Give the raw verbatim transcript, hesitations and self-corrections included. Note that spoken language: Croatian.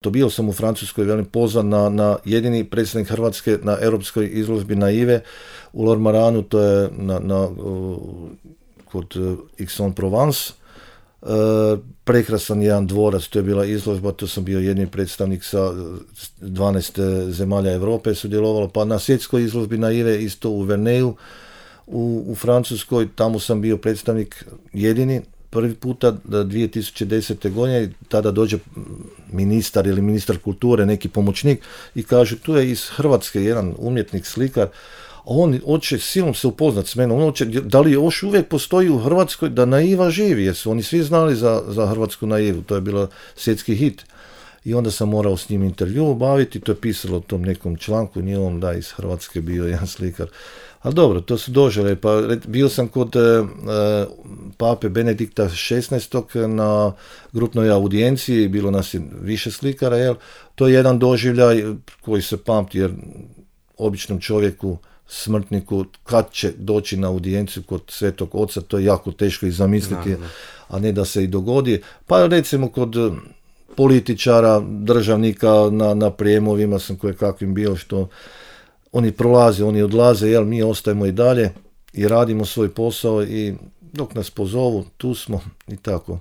To bio sam u Francuskoj, velim, pozvan na, na jedini predstavnik Hrvatske na europskoj izložbi Naive u Lormaranu, to je na, na, kod Aix-en-Provence. E, prekrasan jedan dvorac, to je bila izložba, to sam bio jedini predstavnik sa dvanaest zemalja Europe sudjelovalo, pa na svjetskoj izložbi Naive isto u Verneju u, u Francuskoj, tamo sam bio predstavnik jedini. Prvi puta dvije tisuće desete. godine, tada dođe ministar ili ministar kulture, neki pomoćnik i kaže tu je iz Hrvatske jedan umjetnik, slikar, a on hoće silom se upoznat s menom, on hoće, da li još uvijek postoji u Hrvatskoj da Naiva živi, jer su oni svi znali za, za hrvatsku Naivu, to je bilo svjetski hit. I onda sam morao s njim intervju obaviti, to je pisalo u tom nekom članku, nije on da iz Hrvatske bio jedan slikar. Ali dobro, to su dožele, pa bio sam kod e, pape Benedikta šesnaestog. na grupnoj audijenciji, bilo nas je više slikara, jel? To je jedan doživljaj koji se pamti, jer običnom čovjeku, smrtniku, kad će doći na audijenciju kod Svetog Oca, to je jako teško i zamisliti, da, a ne da se i dogodi. Pa recimo kod političara, državnika na, na prijemovima sam koje kakvim bio, što oni prolaze, oni odlaze, jel, mi ostajemo i dalje i radimo svoj posao i dok nas pozovu, tu smo i tako.